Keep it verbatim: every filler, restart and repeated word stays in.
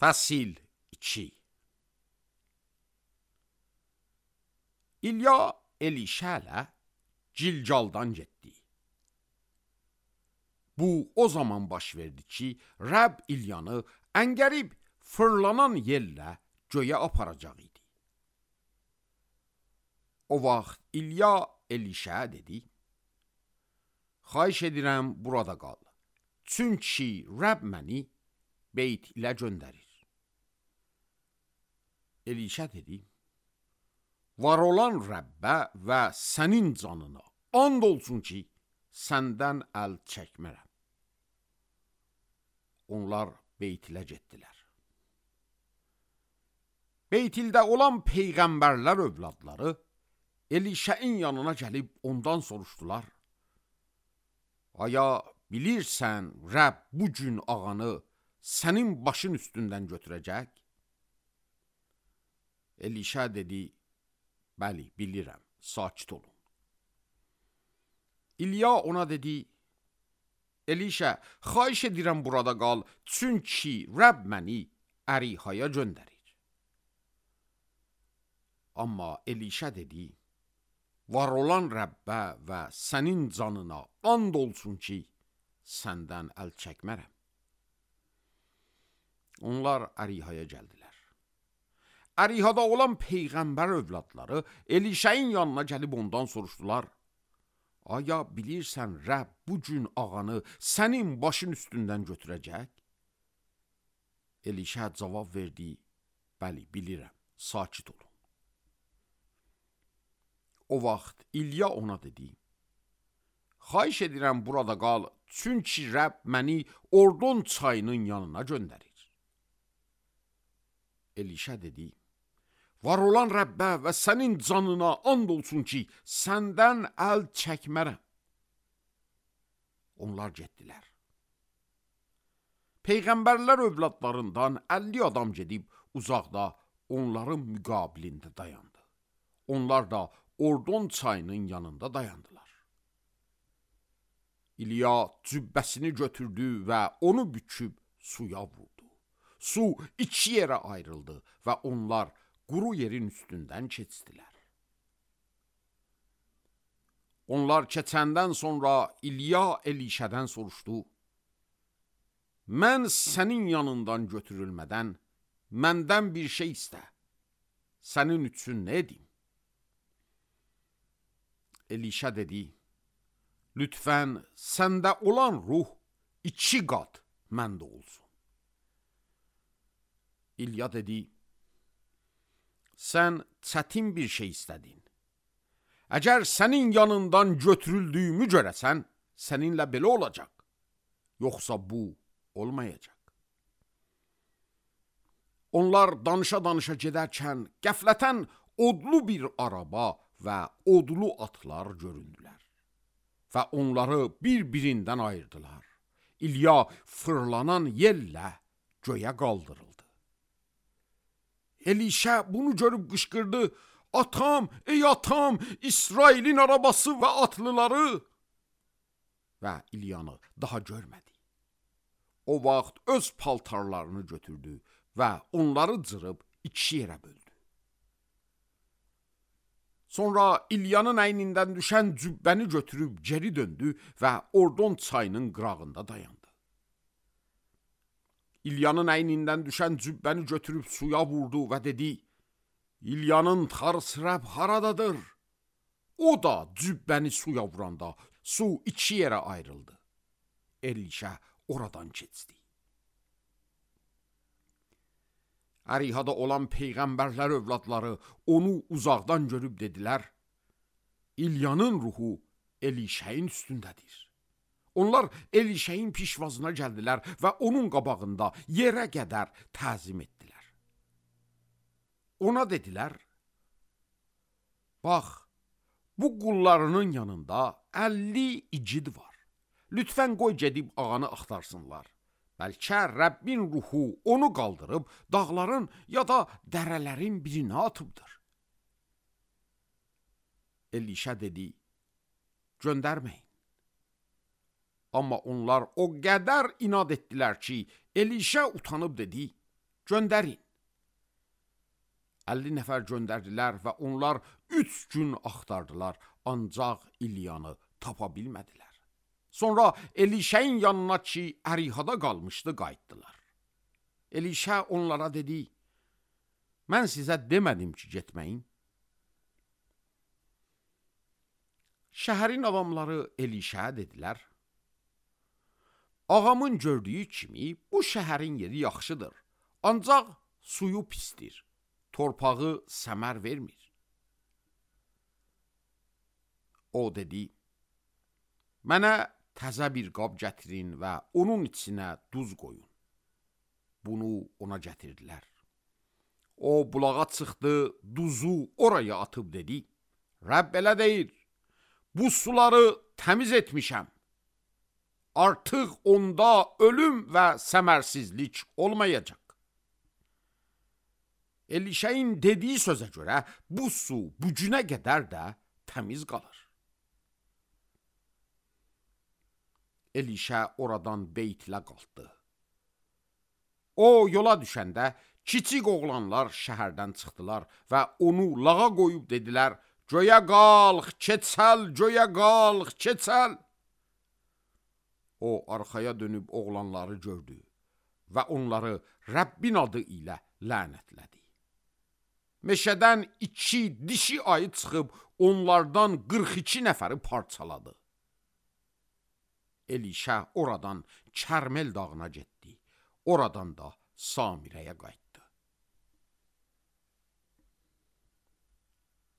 Fəsil iki. İlya Elişə ilə Cilcaldan getdi. Bu o zaman baş verdi ki, Rəbb İlyanı əngərib fırlanan yellə göyə aparacaq idi. O vaxt İlya Elişə dedi, xahiş edirəm burada qal, çünki Rəbb məni beyt ilə göndərir. Elişə dedi, var olan Rəbbə və sənin canına and olsun ki, səndən əl çəkmərəm. Onlar Beytilə getdilər. Beytildə olan peyğəmbərlər övladları Elişəin yanına gəlib ondan soruşdular. Aya bilirsən Rəbb bu gün ağanı sənin başın üstündən götürəcək? Elişə dedi, bəli, bilirəm, sakit olun. İlya ona dedi, Elişə, xahiş edirəm burada qal, çünki Rəbb məni Ərihaya göndərir. Amma Elişə dedi, var olan Rəbbə və sənin canına and olsun ki, səndən əl çəkmərəm. Onlar Ərihaya gəldilər. Ərihada olan peyğəmbər övladları Elişəin yanına gəlib ondan soruşdular. Aya bilirsən Rəbb bu gün ağanı sənin başın üstündən götürəcək? Elişə cavab verdi, bəli, bilirəm, sakit olun. O vaxt İlya ona dedi, xahiş edirəm burada qal, çünki Rəbb məni Ordon çayının yanına göndərir. Elişə dedi, var olan Rəbbə və sənin canına and olsun ki, səndən əl çəkmərəm. Onlar getdilər. Peyğəmbərlər övladlarından əlli adam gedib uzaqda onların müqabilində dayandı. Onlar da Ordon çayının yanında dayandılar. İlya cübbəsini götürdü və onu büküb suya vurdu. Su iki yerə ayrıldı və onlar quru yerin üstündən keçdilər. Onlar keçəndən sonra İlya Elişədən soruşdu, mən sənin yanından götürülmədən məndən bir şey istə, sənin üçün nə edim? Elişə dedi, lütfən səndə olan ruh iki qat məndə olsun. İlya dedi, sən çətin bir şey istədin. Əgər sənin yanından götürüldüyümü görəsən, səninlə belə olacaq. Yoxsa bu olmayacaq. Onlar danışa-danışa gedərkən qəflətən odlu bir araba və odlu atlar göründülər. Və onları bir-birindən ayırdılar. İlya fırlanan yellə göyə qaldırıldı. Elişə bunu görüb qışqırdı, atam, ey atam, İsrailin arabası və atlıları. Və İlyanı daha görmədi. O vaxt öz paltarlarını götürdü və onları cırıb iki yerə böldü. Sonra İlyanın əynindən düşən cübbəni götürüb geri döndü və Ordon çayının qırağında dayandı. İlyanın əynindən düşən cübbəni götürüb suya vurdu və dedi, İlyanın tarısı Rəbb haradadır? O da cübbəni suya vuranda su iki yerə ayrıldı. Elişə oradan keçdi. Ərihada olan peyğəmbərlər övladları onu uzaqdan görüb dedilər, İlyanın ruhu Elişəin üstündədir. Onlar Elişəin pişvazına gəldilər və onun qabağında yerə qədər təzim etdilər. Ona dedilər, bax, bu qullarının yanında əlli igid var. Lütfən qoy gedib ağanı axtarsınlar. Bəlkə Rəbbin ruhu onu qaldırıb dağların ya da dərələrin birinə atıbdır. Elişə dedi, göndərməyin. Amma onlar o qədər inad etdilər ki, Elişə utanıb dedi, göndərin. əlli nəfər göndərdilər və onlar üç gün axtardılar, ancaq İlyanı tapa bilmədilər. Sonra Elişəyin yanına ki, Ərihada qalmışdı, qayıtdılar. Elişə onlara dedi, mən sizə demədim ki, getməyin. Şəhərin adamları Elişəyə dedilər, ağamın gördüyü kimi bu şəhərin yeri yaxşıdır, ancaq suyu pisdir, torpağı səmər vermir. O dedi, mənə təzə bir qab gətirin və onun içinə duz qoyun. Bunu ona gətirdilər. O bulağa çıxdı, duzu oraya atıb dedi, Rəbb belə deyir, bu suları təmiz etmişəm. Artıq onda ölüm və səmərsizlik olmayacaq. Elişəyin dediyi sözə görə bu su bu günə qədər də təmiz qalır. Elişə oradan Beytlə qalxdı. O yola düşəndə kiçik oğlanlar şəhərdən çıxdılar və onu lağa qoyub dedilər, göyə qalx, keçəl, göyə qalx, keçəl. O arxaya dönüb oğlanları gördü və onları Rəbbin adı ilə lənətlədi. Meşədən iki dişi ayı çıxıb onlardan qırx iki nəfəri parçaladı. Elişə oradan Kərmel dağına getdi, oradan da Samirəyə qayıtdı.